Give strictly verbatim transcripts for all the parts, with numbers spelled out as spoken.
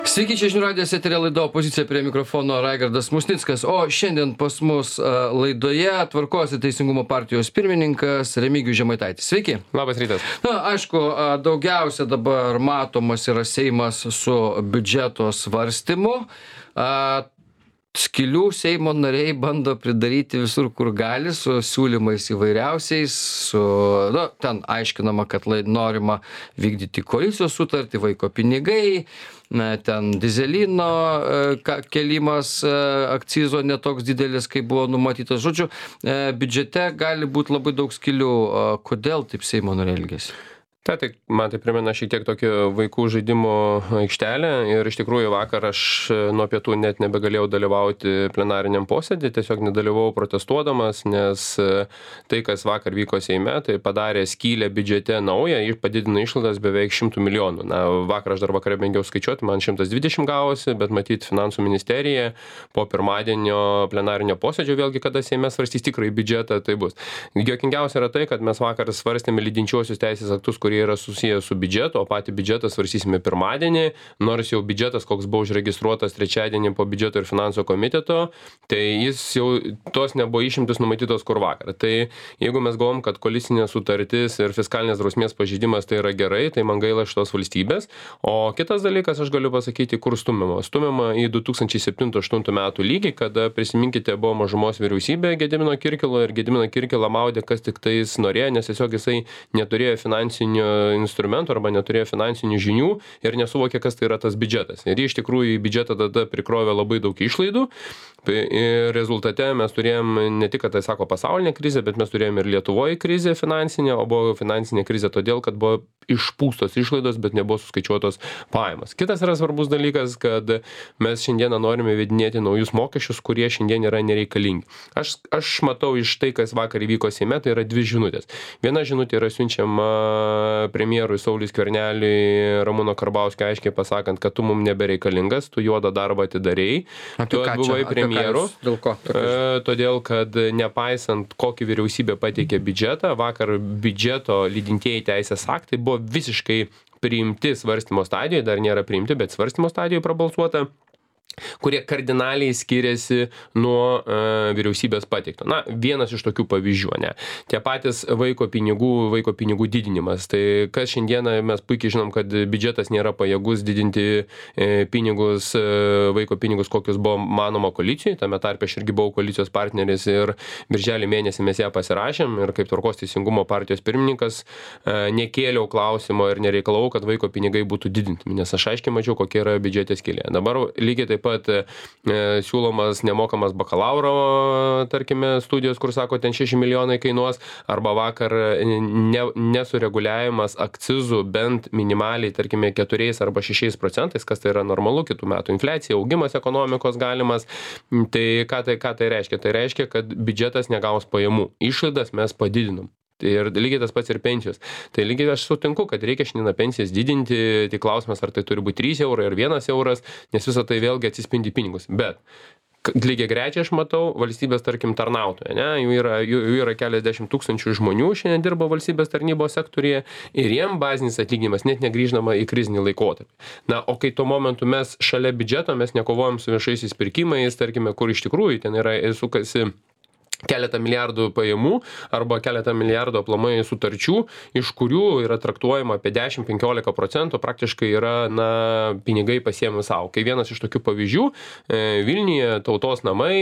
Sveiki, čia žinių radijas eteryje laida Opozicija, prie mikrofono Raigardas Musnickas, o šiandien pas mus laidoje Tvarkos ir teisingumo partijos pirmininkas Remigijus Žemaitaitis. Sveiki. Labas rytas. Na, aišku, daugiausia dabar matomas yra Seimas su biudžeto svarstymu. Skilių Seimo nariai bando pridaryti visur, kur gali, su siūlymais įvairiausiais, su, nu, ten aiškinama, kad norima vykdyti koalicijos sutartį, vaiko pinigai, na, ten dizelino kelimas, akcizo netoks didelis, kaip buvo numatytas. Žodžiu, biudžete gali būti labai daug skilių. Kodėl taip Seimo nariai elgiasi? Ta, tai man tai primena šiek tiek tokį vaikų žaidimo aikštelę ir iš tikrųjų vakar aš nuo pietų net nebegalėjau dalyvauti plenariniam posėdį, tiesiog nedalyvavau protestuodamas, nes tai, kas vakar vyko Seime, tai padarė skylę biudžete naują ir padidino išlaidas beveik šimtų milijonų. Na, vakar aš dar vakarą bangiau skaičiuoti, man šimtas dvidešimt gavosi, bet matyt finansų ministerija po pirmadienio plenarinio posėdžio, vėlgi kada Seime svarstys tikrai biudžetą, tai bus. Juokingiausia yra tai, kad mes vakar svarstėme lydinčiuosius teisės aktus, kurie yra susiję su biudžetu, o patį biudžetą svarstysime pirmadienį, nors jau biudžetas, koks buvo užregistruotas trečiadienį po biudžeto ir finansų komiteto, tai jis jau tos nebuvo išimtis numatytos kur vakar. Tai jeigu mes galvom, kad koalicinė sutartis ir fiskalinės drausmės pažeidimas tai yra gerai, tai man gaila šitos valstybės. O kitas dalykas, aš galiu pasakyti, kur stumiama. Stumiama į du tūkstančiai septintų aštuntų metų lygį, kada, prisiminkite, buvo mažumos vyriausybė Gedimino Kirkilo ir Gedimino Kirkilą maudė, kas tik tais norėjo, nes tiesiog jisai neturėjo finansinių instrumentų arba neturėjo finansinių žinių ir nesuvokė, kas tai yra tas biudžetas. Ir iš tikrųjų į biudžetą tada prikrovė labai daug išlaidų. Ir rezultate mes turėjom ne tik, kad tai sako pasaulinė krizė, bet mes turėjom ir Lietuvoje krizę finansinę, o buvo finansinė krizė todėl, kad buvo išpūstos išlaidos, bet nebuvo suskaičiuotos pajamos. Kitas yra svarbus dalykas, kad mes šiandieną norime įvedinėti naujus mokesčius, kurie šiandien yra nereikalingi. Aš, aš matau iš tai, kas vakar įvyko Seime, tai yra dvi žinutės. Viena žinutė yra siunčiama premjerui Sauliui Skverneliui, Ramūno Karbauskio aiškiai pasakant, kad tu mums nebereikalingas, tu juodą darbą atidarei, tu buvai premjeru, dėl ko? E, todėl, kad nepaisant, kokį vyriausybė pateikė biudžetą, vakar biudžeto lydintieji teisės aktai buvo visiškai priimti svarstymo stadijoje, dar nėra priimti, bet svarstymo stadijoje prabalsuota, kurie kardinaliai skiriasi nuo e, vyriausybės pateikto. Na, vienas iš tokių pavyzdžių, ne. Tie patys vaiko pinigų, vaiko pinigų didinimas. Tai kas šiandieną mes puikiai žinom, kad biudžetas nėra pajėgus didinti e, pinigus, e, vaiko pinigus, kokius buvo manoma koalicijoje. Tame tarpe aš irgi buvau koalicijos partneris ir birželį mėnesį mes ją pasirašėm ir kaip Tvarkos teisingumo partijos pirmininkas e, nekėliau klausimo ir nereikalau, kad vaiko pinigai būtų didinti, nes aš aiškiai mačiau, kokia yra biudžete skylė. Dabar lygiai taip pat e, siūlomas nemokamas bakalauro, tarkime, studijos, kur sako, ten šeši milijonai kainuos, arba vakar ne, nesureguliavimas akcizų bent minimaliai, tarkime, keturiais arba šešiais procentais, kas tai yra normalu, kitų metų infliacija, augimas ekonomikos galimas. Tai ką tai, ką tai reiškia? Tai reiškia, kad biudžetas negaus pajamų. Išlaidas mes padidinam. Ir lygiai tas pats ir pensijos. Tai lygiai aš sutinku, kad reikia šiandieną pensijas didinti, tik klausimas, ar tai turi būti trys eurai ar vienas euras, nes visą tai vėlgi atsispindi pinigus. Bet lygiai grečiai aš matau valstybės, tarkim, tarnautoją, ne? Jų yra, jų, jų yra keliasdešimt tūkstančių žmonių šiandien dirba valstybės tarnybos sektorėje ir jiem bazinis atlyginimas net negrįždama į krizinį laikotarpį. Na, o kai tuo momentu mes šalia biudžeto, mes nekovojam su viešaisiais pirkimais, tarkime, kur iš tikrųjų ten yra sukasi keletą milijardų pajamų arba keletą milijardų aplamai sutarčių, iš kurių yra traktuojama apie dešimt penkiolika procentų, praktiškai yra, na, pinigai pasiemi savo. Kai vienas iš tokių pavyzdžių, Vilniuje tautos namai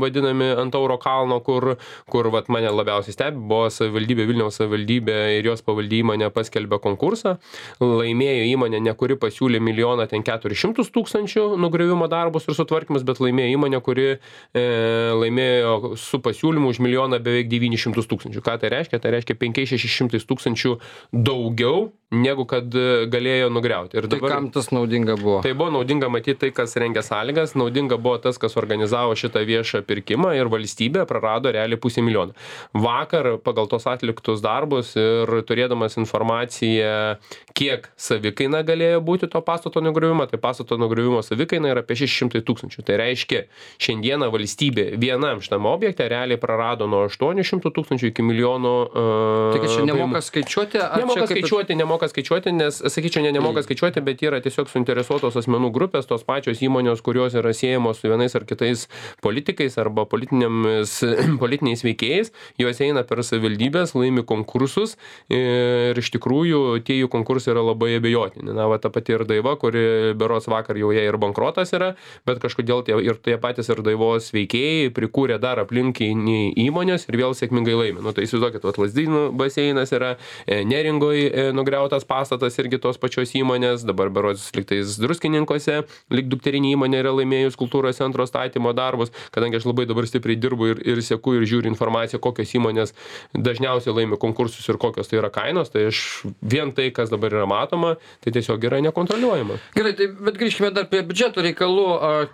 vadinami ant Tauro kalno, kur, kur vat, mane labiausiai stebi, buvo savivaldybė, Vilniaus savivaldybė ir jos pavaldė įmonė paskelbė konkursą, laimėjo įmonė, ne kuri pasiūlė milijoną ten keturis šimtus tūkstančių nugriovimo darbus ir sutvarkymus, bet laimėjo įmonė, kuri e, laimėjo su pasiūlymu siūlymų už milijoną beveik devynis šimtus tūkstančių. Ką tai reiškia? Tai reiškia penki šeši šimtai tūkstančių daugiau, negu kad galėjo nugriauti. Ir dabar, tai kam tas naudinga buvo? Tai buvo naudinga matyti tai, kas rengia sąlygas, naudinga buvo tas, kas organizavo šitą viešą pirkimą ir valstybė prarado realiai pusę milijoną. Vakar pagal tos atliktus darbus ir turėdamas informaciją, kiek savikaina galėjo būti to pastato nugriuvimo, tai pastato nugriuvimo savikaina yra apie šeši šimtai tūkstančių. Tai reiškia, šiandieną valstybė vienam šitam objekte realiai prarado nuo aštuonių šimtų tūkstančių iki milijono. Uh, tai kad čia nemoka skaičiuoti? Nemoka skaičiuoti, nemoka nemoka skaičiuoti, nes, sakyčiau, ne nemoka skaičiuoti, bet yra tiesiog suinteresuotos asmenų grupės, tos pačios įmonės, kurios yra siejamos su vienais ar kitais politikais arba politiniais veikėjais, jos eina per savivaldybės, laimi konkursus ir iš tikrųjų tie jų konkursai yra labai abejotini. Na, va, ta pati ir Daiva, kuri berods vakar jau jie ir bankrotas yra, bet kažkodėl tie, ir tie patys ir Daivos veikėjai prikūrė dar aplinkinį įmonės ir vėl sėkmingai laimi. Nu, tai įsivaizduokit, vat Lazdynų baseinas yra, Neringoje nugriautas pastatas irgi tos pačios įmonės, dabar berods liktais Druskininkuose, lik dukterinė įmonė yra laimėjus kultūros centro statymo darbus, kadangi aš labai dabar stipriai dirbu ir, ir seku ir žiūriu informaciją, kokios įmonės dažniausiai laimi konkursus ir kokios tai yra kainos, tai aš vien tai, kas dabar yra matoma, tai tiesiog yra nekontroliuojama. Gerai, tai, bet grįžkime dar prie biudžeto reikalų,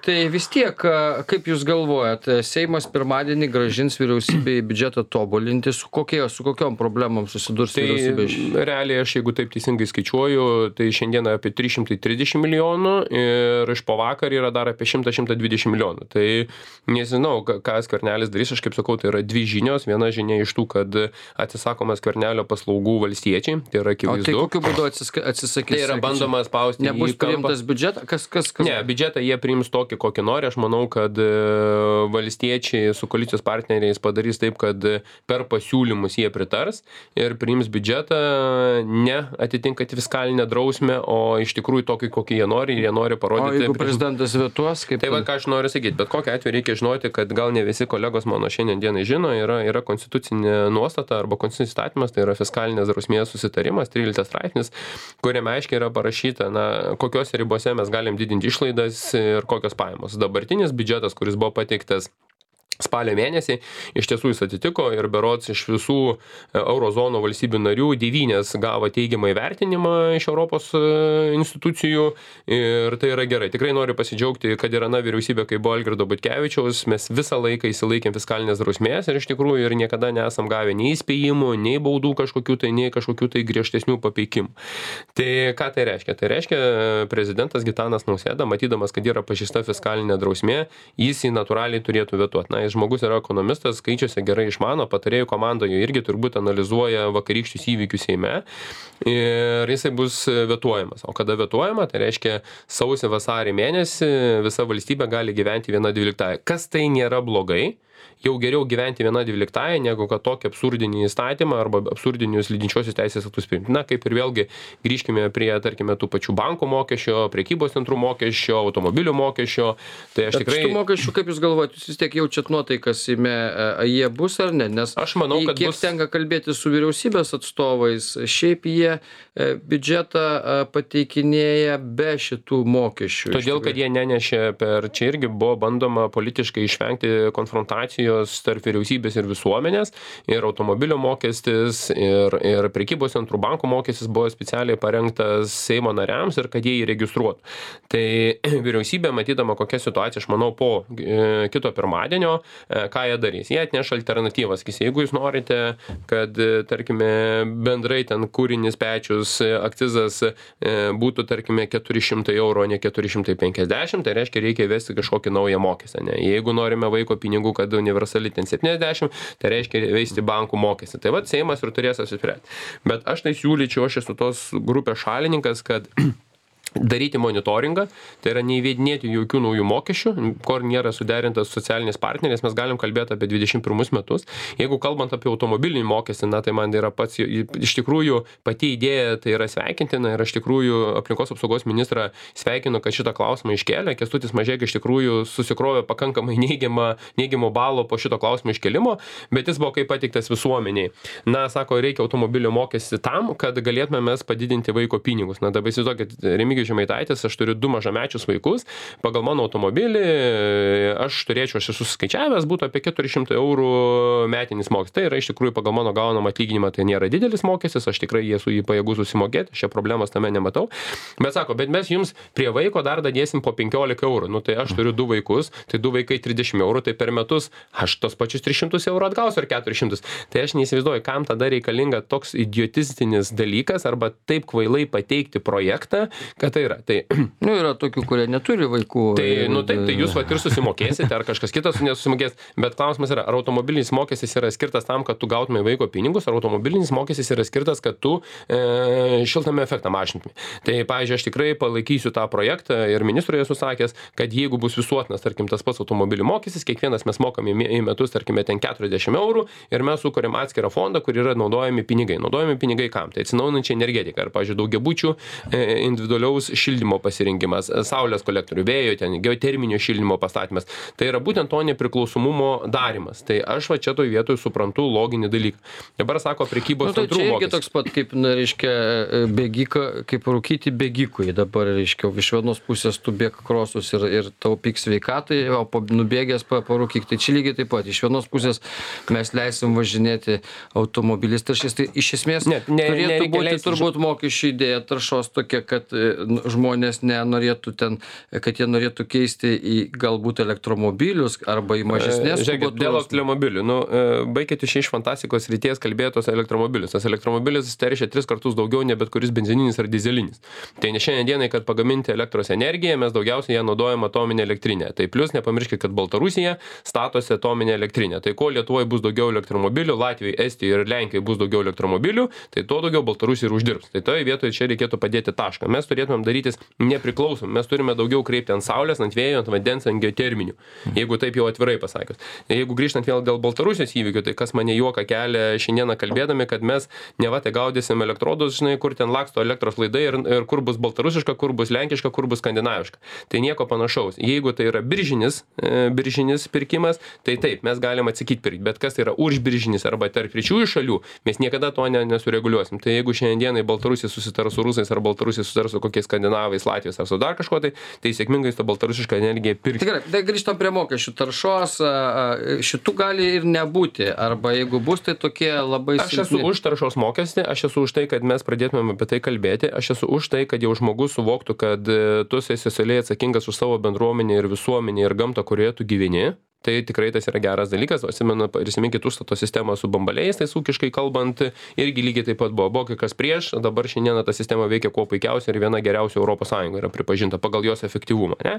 tai vis tiek, kaip jūs galvojat, Seimas pirmadienį grąžins vyriausybei biudžetą tobulinti, su, kokie, su kokiom problemom susidurs tai vyriausybė? Realiai aš, jeigu taip teisingai skaičiuoju, tai šiandieną apie trys šimtai trisdešimt milijonų ir iš po vakar yra dar apie šimtas dvidešimt milijonų. Tai nežinau, ką Skvernelis darys, aš kaip sakau, tai yra dvi žinios. Viena žinia iš tų, kad atsisakoma Skvernelio paslaugų valstiečiai, tai yra akivaizdu. O tai kokiu būdu atsisakys? Tai yra bandoma spausti. Nebus priimtas biudžetas? Kas, kas, kas? Ne, biudžetą jie priims tokį, kokį nori. Aš manau, kad valstiečiai su koalicijos partneriais padarys taip, kad per pasiūlymus jie pritars ir priims biudžetą ne atitinkant fiskalinę drausmę, o iš tikrųjų tokį, kokį jie nori, ir jie nori parodyti. O jeigu prezidentas vetuos, kaip... Tai va, ką aš noriu sakyti, bet kokiu atveju reikia žinoti, kad gal ne visi kolegos mano šiandien dienai žino, yra, yra konstitucinė nuostata arba konstitucinis įstatymas, tai yra fiskalinės drausmės susitarimas, tryliktas straipsnis, kuriame aiškiai yra parašyta, na, kokiose ribose mes galim didinti išlaidas ir kokios pajamos. Dabartinis biudžetas, kuris buvo pateiktas spalio mėnesį, iš tiesų jis atitiko ir berods iš visų eurozono valstybių narių devynios gavo teigiamą įvertinimą iš Europos institucijų ir tai yra gerai. Tikrai noriu pasidžiaugti, kad yra na vyriausybė, kai buvo Algirdo Butkevičiaus, mes visą laiką įsilaikėm fiskalinės drausmės ir iš tikrųjų ir niekada nesam gavę nei įspėjimų, nei baudų kažkokių tai, nei kažkokių tai griežtesnių papeikimų. Tai ką tai reiškia? Tai reiškia, prezidentas Gitanas Nausėda, matydamas, kad yra pažeista fiskalinė drausmė, jis jį natūraliai turėtų vetuoti. Na, žmogus yra ekonomistas, skaičiuose gerai išmano, patarėjų komandoje irgi turbūt analizuoja vakarykščius įvykius Seime ir jisai bus vetuojamas. O kada vetuojama, tai reiškia sausį vasarį mėnesį visa valstybė gali gyventi viena dvyliktąja. Kas tai nėra blogai? Jau geriau gyventi viena dvyliktąja, negu kad tokį absurdinį įstatymą arba absurdinius lydinčiosius teisės aktus priimti. Na, kaip ir vėlgi grįžkime prie, tarkime, tų pačių bankų mokesčio, prekybos centrų mokesčio, automobilių mokesčio. Tai aš tikrai... Šitų mokesčių, kaip jūs galvojate, jūs vis tiek jaučiat nuotaikas Seime, jie bus ar ne? Nes aš manau, kad kiek bus... tenka kalbėti su vyriausybės atstovais, šiaip jie biudžetą pateikinėja be šitų mokesčių. Todėl, kad jie nenešė per... Čia irgi buvo bandoma politiškai išvengti konfrontacijos tarp vyriausybės ir visuomenės, ir automobilio mokestis, ir, ir prekybos centrų bankų mokestis buvo specialiai parengtas Seimo nariams ir kad jie jį registruotų. Tai vyriausybė, matydama kokią situaciją, aš manau, po e, kito pirmadienio, e, ką jie darys. Jie atneš alternatyvas. Jeigu jūs norite, kad, tarkime, bendrai ten kūrinis pečius, akcizas e, būtų, tarkime, keturi šimtai eurų, o ne keturi šimtai penkiasdešimt, tai reiškia, reikia įvesti kažkokį naują mokestį. Ne? Jeigu norime vaiko pinigų, kad universali ten septyniasdešimt, tai reiškia veisti bankų mokestį. Tai vat Seimas ir turės apsispręsti. Bet aš tai siūlyčiau, aš esu tos grupės šalininkas, kad daryti monitoringą, tai yra neįvedinėti jokių naujų mokesčių, kur nėra suderintas socialiniais partneriais, mes galim kalbėti apie dvidešimt pirmus metus. Jeigu kalbant apie automobilinį mokestį, na, tai man yra pats, iš tikrųjų, pati idėja tai yra sveikintina ir aš tikrųjų aplinkos apsaugos ministrą sveikinu, kad šitą klausimą iškėlė. Kęstutis Mažeika iš tikrųjų susikrovė pakankamai neigiamą, neigiamo balo po šito klausimo iškėlimo, bet jis buvo kaip pateiktas visuomeniai. Na, sako, reikia automobilio mokestį tam, kad galėtume mes padidinti vaiko pinigus. Na, dabar įsivaizduokit, Remigijus Žemaitaitis, aš turiu du mažamečius vaikus, pagal mano automobilį aš turėčiau, aš esu suskaičiavęs, būtų apie keturi šimtai eurų metinis mokestis. Tai yra iš tikrųjų pagal mano gaunamą atlyginimą, tai nėra didelis mokestis, aš tikrai esu jį pajėgus susimokėti, šia problemos tame nematau. Bet sako, bet mes jums prie vaiko dar dadėsim po penkiolika eurų. Nu tai aš turiu du vaikus, tai du vaikai trisdešimt eurų, tai per metus aš tos pačius tris šimtus eurų atgausiu ar keturis šimtus. Tai aš neįsivaizduoju, kam tada reikalinga toks idiotistinis dalykas arba taip kvailai pateikti projektą, kad tai yra. Tai, nu, yra tokių, kurie neturi vaikų. tai, nu, taip, tai jūs vat ir susimokėsite, ar kažkas kitas nesusimokės, bet klausimas yra, ar automobilinis mokestis yra skirtas tam, kad tu gautumai vaiko pinigus, ar automobilinis mokestis yra skirtas, kad tu e, šiltnamio efektą mažintumai. Tai, pavyzdžiui, aš tikrai palaikysiu tą projektą ir ministrui esu sakęs, kad jeigu bus visuotinas, tarkim, tas pats automobilių mokestis, kiekvienas mes mokam į, į metus, tarkime, ten keturiasdešimt eurų ir mes sukuriam atskirą fondą, kur yra naudojami pinigai. Naudojami pinigai kam? Tai atsinaujinančią energetiką, ar, pavyzdžiui, daugiabučių e, individualiaus šildymo pasirinkimas, saulės kolektorių, vėjo, ten, geoterminio šildymo pastatymas. Tai yra būtent to nepriklausomumo darimas. Tai aš va čia toj vietoj suprantu loginį dalyką. Dabar sako prekybos nu, tai centrų mokestis. Tai irgi toks pat, kaip, na, reiškia, bėgika, kaip rūkyti bėgikui. Dabar, reiškia, iš vienos pusės tu bėg krosus ir, ir taupyk sveikatai, o nubėgęs parūkyk. Tai čia lygiai taip pat. Iš vienos pusės mes leisim važinėti automobilis taršės. Tai iš esmės ne, ne, turėtų būti leisti, turbūt mokesčių idėja taršos tokia, kad žmonės nenorėtų ten, kad jie norėtų keisti į galbūt elektromobilius arba į mažesnės. Žiūrėkit, dėl elektromobilių. Nu, baikit iš iš fantastikos ryties kalbėtos elektromobilius. Tas elektromobilis teršia tris kartus daugiau, ne bet kuris benzininis ar dizelinis. Tai ne šiandien dienai, kad pagaminti elektros energiją, mes daugiausiai ją naudojam atominę elektrinę. Tai plus nepamirškit, kad Baltarusija statosi atominę elektrinę. Tai ko Lietuvoje bus daugiau elektromobilių, Latvijoje, Estijoje ir Lenkijoje bus daugiau elektromobilių, tai to daugiau Baltarusija ir uždirbs. Tai toje vietoje čia reikėtų padėti tašką. Mes turėtumėm darytis nepriklausom. Mes turime daugiau kreipti ant saulės, ant vėjo, ant vandens, ant geoterminių. Jeigu taip jau atvirai pasakius. Jeigu grįžtant vėl dėl Baltarusijos įvykių, tai kas mane juoka kelia šiandieną kalbėdami, kad mes neva tai gaudysim elektrodus, žinai, kur ten laksto elektros laidai ir, ir kur bus baltarusiška, kur bus lenkiška, kur bus skandinaviška. Tai nieko panašaus. Jeigu tai yra biržinis, e, biržinis pirkimas, tai taip, mes galim atsakyti pirkti, bet kas tai yra užbiržinis arba tarp trečiųjų šalių, mes niekada to ne, nesureguliuosim. Tai jeigu šiandienai Baltarusija susitars su rusais ar Baltarusija susitars su kokiais skandinavais, Latvijos ar su dar kažko, tai, tai sėkmingai su baltarusiška energija pirkti. Tikrai, tai grįžtam prie mokesčių taršos, šitų gali ir nebūti, arba jeigu bus, tai tokie labai silpni. Aš esu už taršos mokestį, aš esu už tai, kad mes pradėtumėm apie tai kalbėti, aš esu už tai, kad jau žmogus suvoktų, kad tu esi socialiai atsakingas už savo bendruomenę ir visuomenę ir gamtą, kurioje tu gyveni. Tai tikrai tas yra geras dalykas, o atsimenu, prisiminkit užstato sistemą su bambaliais, tai ūkiškai kalbant, irgi lygiai taip pat buvo, buvo kai kas prieš, dabar šiandieną ta sistema veikia kuo puikiausiai ir viena geriausia Europos Sąjungoje yra pripažinta pagal jos efektyvumą, ne?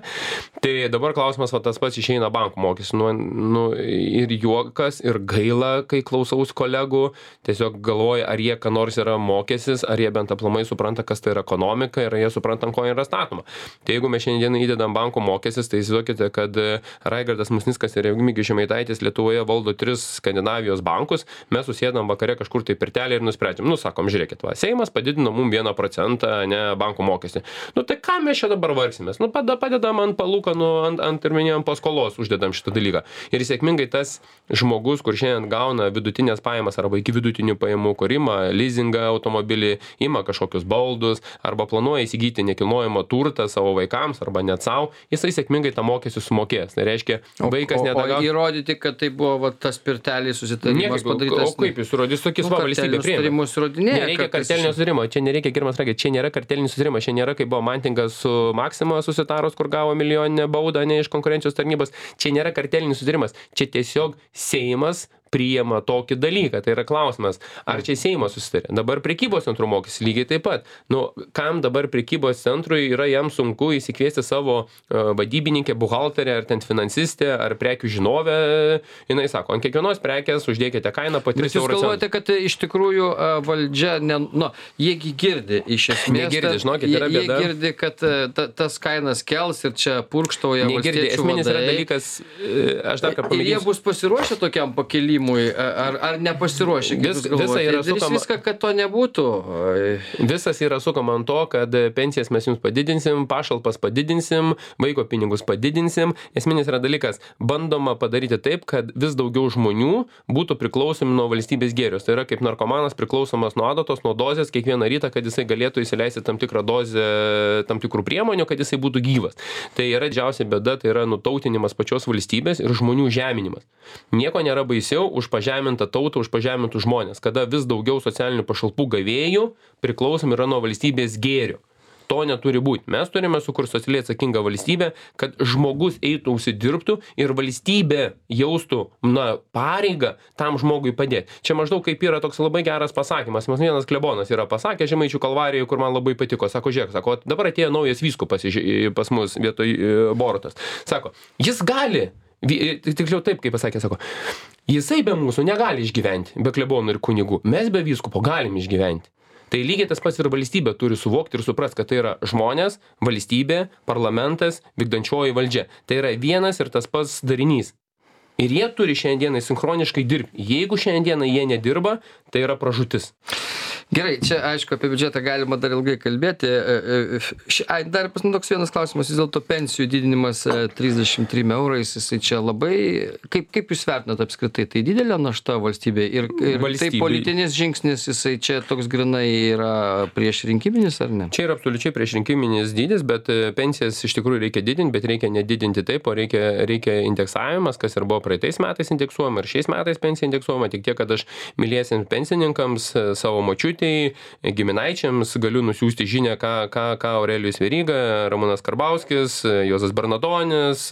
Tai dabar klausimas, va tas pats išeina bankų mokestis, nu, nu, ir juokas, ir gaila, kai klausaus kolegų, tiesiog galvoja, ar jie ką nors yra mokestis, ar jie bent aplamai supranta, kas tai yra ekonomika ir jie supranta, ko yra statoma. Tai jeigu mes šiandieną įdedam bankų mokestis, tai įsivaizduokite, kad Raigardas Musnickas ir Remigijus Žemaitaitis Lietuvoje valdo tris Skandinavijos bankus, mes susėdam vakare kažkur tai pirtelį ir nusprendžiam, nu sakom, žiūrėkit, va, Seimas padidino mum vieną procentą, ne, bankų mokestį. Nu tai ką mes čia dabar varsimės? Nu padedam ant palūkanų, ant, ant ir minėjom paskolos uždedam šitą dalyką. Ir sėkmingai tas žmogus, kur šiandien gauna vidutinės pajamas arba iki vidutinių pajamų, kur ima leasingą automobilį, ima kažkokius baldus arba planuoja įsigyti nekilnojamą turtą savo vaikams arba net savo, jisai sėkmingai tą mokestį sumokės. Tai reiškia, vaikas O, o įrodyti, kad tai buvo va, tas pirtelis susitarimas padarytas. O kaip jūs įrodys, tokį svą valstybė priėmė? Nereikia kartelinio susitarimo, čia nereikia, Girmas sakė, čia nėra kartelinis susitarimas, čia nėra, kaip buvo Mantingas su Maxima susitarus, kur gavo milijoninę baudą ne iš konkurencijos tarnybos, čia nėra kartelinis susitarimas, čia tiesiog Seimas priima tokį dalyką. Tai yra klausimas, ar čia Seimas susitarė. Dabar prekybos centrų mokestis lygiai taip pat. Nu, kam dabar prekybos centrui yra jam sunku įsikviesti savo uh, vadybininkę, buhalterę, ar ten finansistę, ar prekių žinovę. Jinai sako, ant kiekvienos prekės uždėkite kainą po tris eurų. Jūs galvojate, kad iš tikrųjų uh, valdžia, ne, nu, jiegi girdi iš esmės. Negirdi, žinokit, yra bėda. Jie girdi, kad uh, ta, tas kainas kels ir čia purkštauja valstiečių vadai. Yra dalykas, aš dar ką pamėginsiu. Ir jie bus pasiruošę tokiam pakelimui. Ar, ar nepasiruošę? Vis, visa yra sukama, viską, kad to nebūtų. Visas yra sukama ant to, kad pensijas mes jums padidinsim, pašalpas padidinsim, vaiko pinigus padidinsim. Esminis yra dalykas, bandoma padaryti taip, kad vis daugiau žmonių būtų priklausomi nuo valstybės gėrius. Tai yra kaip narkomanas priklausomas nuo adatos, nuo dozės kiekvieną rytą, kad jisai galėtų įsileisti tam tikrą dozę, tam tikrų priemonių, kad jisai būtų gyvas. Tai yra didžiausia bėda, tai yra nutautinimas pačios valstybės ir žmonių žeminimas. Nieko nėra baisiau už pažemintą tautą, už pažemintų žmonės, kada vis daugiau socialinių pašalpų gavėjų priklausomi yra nuo valstybės gėrio. To neturi būti. Mes turime sukurti socialiai atsakingą valstybę, kad žmogus eitų užsidirbtų ir valstybė jaustų, na, pareigą tam žmogui padėti. Čia maždaug kaip yra toks labai geras pasakymas. Mas vienas klebonas yra pasakęs Žemaičių Kalvarijoje, kur man labai patiko. Sako, žiūrėk, sako, dabar atėjo naujas vyskupas pas mus vietoj Borutos. Sako, jis gali, tiksliau taip, kaip pasakė, sako, jisai be mūsų negali išgyventi, be klebonų ir kunigų. Mes be vyskupo galim išgyventi. Tai lygiai tas pats ir valstybė turi suvokti ir suprast, kad tai yra žmonės, valstybė, parlamentas, vykdančioji valdžia. Tai yra vienas ir tas pats darinys. Ir jie turi šiandienai sinchroniškai dirbti. Jeigu šiandieną jie nedirba, tai yra pražūtis. Gerai, čia aišku, apie biudžetą galima dar ilgai kalbėti. Ai, dar pas man toks vienas klausimas, vis dėlto pensijų didinimas trisdešimt trim eurais, jisai čia labai, kaip, kaip jūs vertinat apskritai, tai didelė našta valstybė ir, ir Valstybei. tai politinis žingsnis, jisai čia toks grinai yra prieš rinkiminis ar ne? Čia yra absoliučiai prieš rinkiminis dydis, bet pensijas iš tikrųjų reikia didinti, bet reikia nedidinti taip, o reikia, reikia indeksavimas, kas ir buvo praeitais metais indeksuojama ir šiais metais pensija indeksuojama, tik tiek, kad aš myliesiems pensininkams, savo močiutei, giminaičiams galiu nusiųsti žinią, ką, ką, ką Aurelijus Veryga, Ramūnas Karbauskis, Juozas Bernadonis,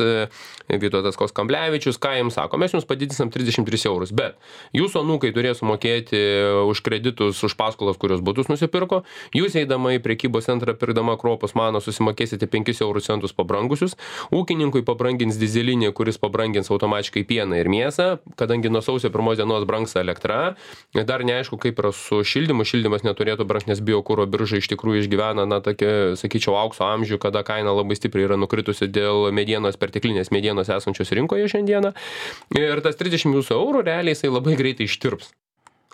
Vytautas Kamblevičius, ką jums sako, mes jums padidinsim trisdešimt tris eurus, bet jūsų anūkai turės sumokėti už kreditus, už paskolas, kurios butus nusipirko, jūs eidama į prekybos centrą pirkdama kruopos mano susimokėsite penkis eurų centus pabrangusius, ūkininkui pabrangins dyzelinį, kuris pabrangins automatiškai pieną ir mėsą, kadangi nuo sausio pirmos dienos brangs elektra, dar neaišku, kaip yra su šildymu, šildymas neturėtų brangti, nes biokuro birža iš tikrųjų išgyvena, na, tokia, sakyčiau, aukso amžių, kada kaina labai stipriai yra nukritusi dėl medienos, perteklinės medienos esančios rinkoje šiandieną. Ir tas trisdešimt eurų realiai jisai labai greitai ištirps.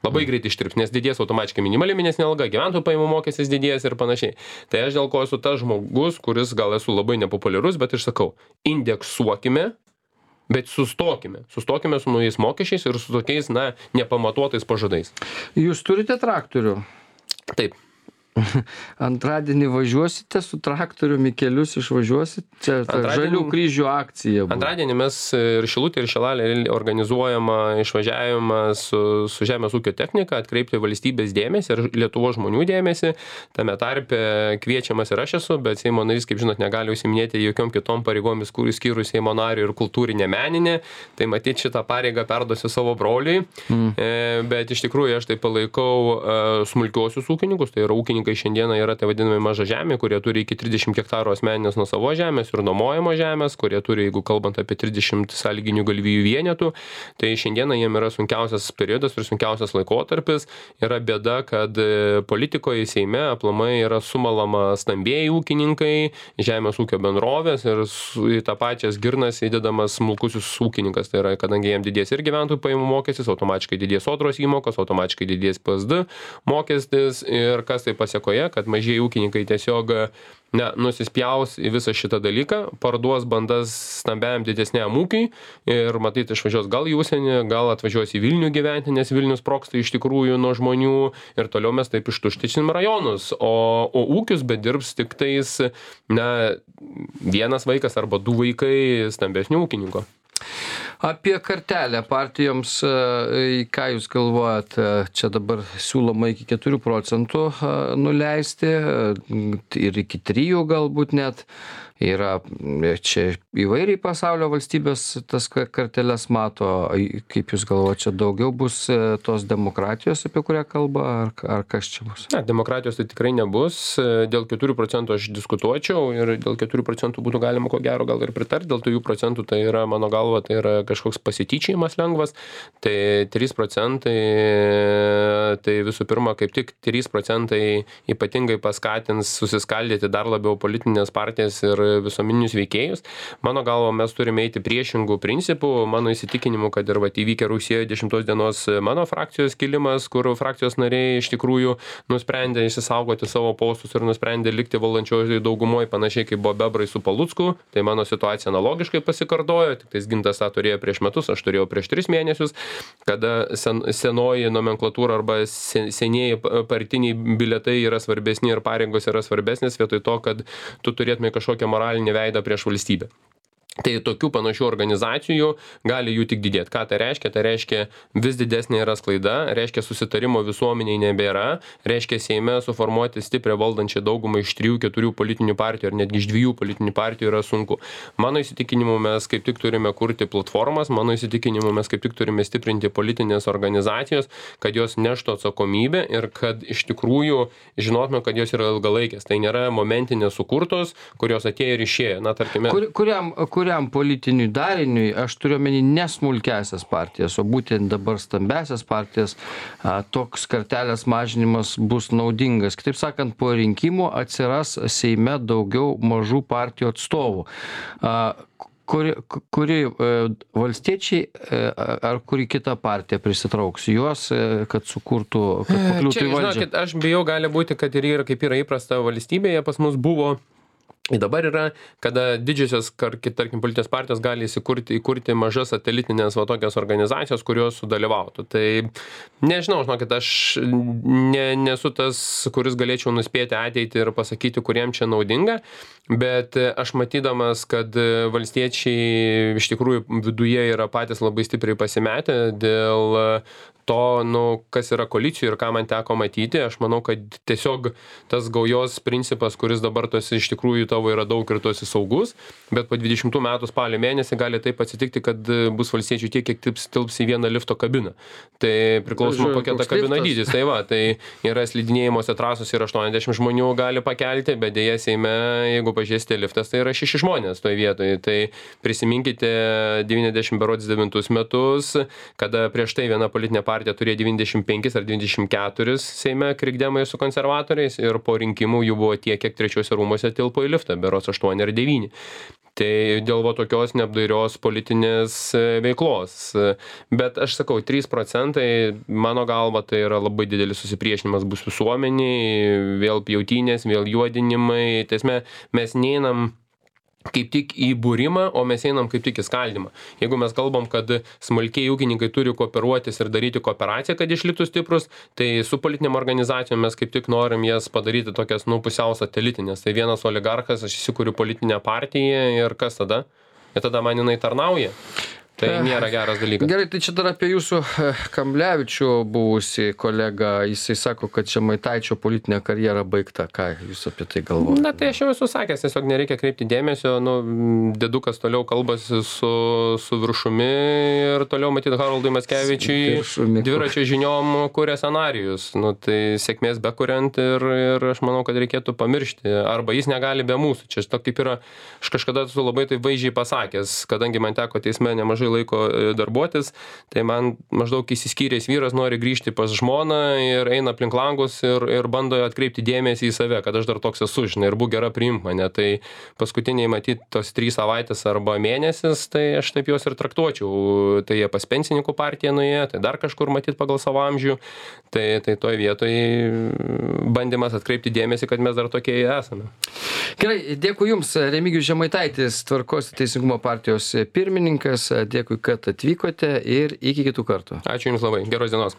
Labai greitai ištirps, nes didės automatiškai minimali mėnesinė alga, gyventojų pajamų mokestis didės ir panašiai. Tai aš dėl ko esu tas žmogus, kuris gal esu labai nepopuliarus, bet aš sakau, indeksuokime, bet sustokime. Sustokime su naujais mokesčiais ir su tokiais, na, nepamatuotais pažadais. Jūs turite traktorių? Taip. Antradienį važiuosite su traktoriumi, kelius išvažiuosit? Čia žalių kryžių akcija buvo. Antradienį mes ir Šilutė, ir Šilalė organizuojama išvažiavimą su, su žemės ūkio technika, atkreipti valstybės dėmesį ir Lietuvos žmonių dėmesį. Tame tarpe kviečiamas ir aš esu, bet Seimo narys, kaip žinot, negali užsiminėti jokiom kitom pareigomis, kur skyrus Seimo narį ir kultūrinė meninė. Tai matyt, šitą pareigą perduosiu savo broliui. Mm. E, bet iš tikrųjų aš tai palaikau uh, smulkiuosius ūkininkus, tai yra ūkininkai šiandieną yra tai vadinami maža žemė, kurie turi iki trisdešimt hektarų asmeninės nuosavos žemės ir nuomojamo žemės, kurie turi, jeigu kalbant apie trisdešimt sąlyginių galvijų vienetų, tai šiandieną jiem yra sunkiausias periodas ir sunkiausias laikotarpis. Yra bėda, kad politikoje Seime aplamai yra sumalama stambieji ūkininkai, žemės ūkio bendrovės ir į tą pačias girnas įdedamas smulkusis ūkininkas. Tai yra, kadangi jiem didės ir gyventojų pajamų mokestis, automatiškai didės sodros įmokos, automatiškai didės P S D mokestis ir kas tai pasiekoje, kad mažieji ūkininkai tiesiog ne, nusispjaus į visą šitą dalyką, parduos bandas stambiam didesniam ūkiui ir matyt išvažiuos gal į užsienį, gal atvažiuos į Vilnių gyventi, nes Vilnius sprogsta iš tikrųjų nuo žmonių ir toliau mes taip ištuštysim rajonus, o, o ūkius bedirbs tik tais na, vienas vaikas arba du vaikai stambesnių ūkininko. Apie kartelę partijoms, ką jūs galvojat, čia dabar siūloma iki keturių procentų nuleisti ir iki trijų galbūt net. Yra čia įvairiai pasaulio valstybės tas karteles mato, kaip jūs galvojate, čia daugiau bus tos demokratijos, apie kurią kalba, ar, ar kas čia bus? Ne, demokratijos tai tikrai nebus, dėl keturių procentų aš diskutuočiau ir dėl keturių procentų būtų galima ko gero gal ir pritarti, dėl trijų procentų tai yra, mano galva, tai yra kažkoks pasityčiojimas lengvas, tai trys procentai, tai visų pirma, kaip tik trys procentai ypatingai paskatins susiskaldyti dar labiau politinės partijas ir visuomeninius veikėjus. Mano galva, mes turime eiti priešingų principų. Mano įsitikinimu, kad ir vat įvykę rugsėjo dešimtos dienos mano frakcijos kilimas, kur frakcijos nariai iš tikrųjų nusprendė išsisaugoti savo postus ir nusprendė likti valdančiojoje daugumoje, panašiai kaip buvo Bebrai su Palucku. Tai mano situacija analogiškai pasikartojo, tik tais Gintas tą turėjo prieš metus, aš turėjau prieš tris mėnesius, kada sen, senoji nomenklatūra arba sen, senieji partiniai biletai yra svarbesni ir pareigos yra svarbesnės vietoj to, kad tu turėtumai kažkokią moralinį veidą prieš valstybę. Tai tokių panašių organizacijų gali jų tik didėti. Ką tai reiškia? Tai reiškia vis didesnė yra sklaida, reiškia susitarimo visuomeniai nebėra, reiškia Seime suformuoti stiprią valdančią daugumą iš trijų, keturių politinių partijų ar netgi iš dviejų politinių partijų yra sunku. Mano įsitikinimu mes kaip tik turime kurti platformas, mano įsitikinimu mes kaip tik turime stiprinti politinės organizacijos, kad jos neštų atsakomybę ir kad iš tikrųjų žinotume, kad jos yra ilgalaikės. Tai nėra momentinės sukurtos, kurios atėjo ir išėjo. Na, tarkime, Kur, kuriam, kuriam politiniui dariniui, aš turiu omeny ne smulkiasias partijas, o būtent dabar stambiasias partijas, a, toks kartelės mažinimas bus naudingas. Kitaip sakant, po rinkimų atsiras Seime daugiau mažų partijų atstovų. A, kuri, kuri e, valstiečiai e, ar kuri kita partija prisitrauks juos, e, kad sukurtų, kad pakliūtų į valdžią? Žinokit, aš bijau, gali būti, kad ir yra, kaip yra įprasta valstybėje, pas mus buvo. Dabar yra, kada didžiosios, tarkim, politinės partijos gali įsikurti, įkurti mažas satelitinės va tokias organizacijos, kurios sudalyvautų. Tai nežinau, žinokit, aš ne, nesu tas, kuris galėčiau nuspėti ateitį ir pasakyti, kuriem čia naudinga, bet aš matydamas, kad valstiečiai iš tikrųjų viduje yra patys labai stipriai pasimetę dėl to, nu, kas yra koalicijų ir ką man teko matyti, aš manau, kad tiesiog tas gaujos principas, kuris dabar tos iš tikrųjų tavo yra daug ir tu esi saugus, bet po dvidešimtų metų spalio mėnesį gali taip atsitikti, kad bus valstiečių tiek, kiek tilps, tilps į vieną lifto kabiną. Tai priklausoma, kokia ta kabina dydis. Tai va, tai yra slidinėjimuose trasos ir aštuoniasdešimt žmonių gali pakelti, bet dėja Seime, jeigu pažiūrėsite liftas, tai yra šeši žmonės toje vietoje. Tai prisiminkite devyniasdešimt devintus metus, kada prieš tai viena politinė partija turėjo devyniasdešimt penkis ar devyniasdešimt keturis Seime krikdemai su konservatoriais ir po rinkimų jų buvo tiek, kiek trečiuose rūmuose tilpo į liftą, berods aštuoni ar devyni. Tai dėl va tokios neapdairios politinės veiklos. Bet aš sakau, trys procentai, mano galva, tai yra labai didelis susipriešinimas bus visuomeniai, vėl pjautynės, vėl juodinimai. Tai mes neinam kaip tik į būrimą, o mes einam kaip tik į skaldymą. Jeigu mes kalbam, kad smulkiai ūkininkai turi kooperuotis ir daryti kooperaciją, kad išliktų stiprus, tai su politinėm organizacijom mes kaip tik norim jas padaryti tokias, nu, pusiau satelitinės. Tai vienas oligarchas, aš įsikuriu politinę partiją ir kas tada? Ir tada man jinai tarnauja. Tai nėra geras dalykas. Gerai, tai čia dar apie jūsų Kamblevičių buvusi kolega, jisai sako, kad Žemaitaičio politinė karjera baigta. Ką jūs apie tai galvojate? Na, tai aš jau esu sakęs, tiesiog nereikia kreipti dėmesio, nu, dedukas toliau kalbasi su, su viršumi ir toliau matyti Haroldui Mackevičiui dviračio žiniom kuria scenarijus. Nu, tai sėkmės bekuriant ir, ir aš manau, kad reikėtų pamiršti. Arba jis negali be mūsų. Čia to kaip yra, aš kažkada esu labai tai vaizdžiai pasakęs, kadangi man teko teisme nemažai laiko darbuotis, tai man maždaug įsiskyręs vyras nori grįžti pas žmoną ir eina aplink langus ir, ir bando atkreipti dėmesį į save, kad aš dar toks esu, žinai, ir būk gera priimk mane. Tai paskutiniai matyt tos trys savaitės arba mėnesis, tai aš taip juos ir traktuočiau. Tai jie pas pensininkų partiją nuėjo, tai dar kažkur matyt pagal savo amžių. Tai, tai toj vietoj bandymas atkreipti dėmesį, kad mes dar tokie esame. Gerai, dėkui Jums, Remigijus Žemaitaitis, Tvarkos ir Teisingumo partijos pirmininkas. Dėkui, kad atvykote ir iki kitų kartų. Ačiū Jums labai. Geros dienos.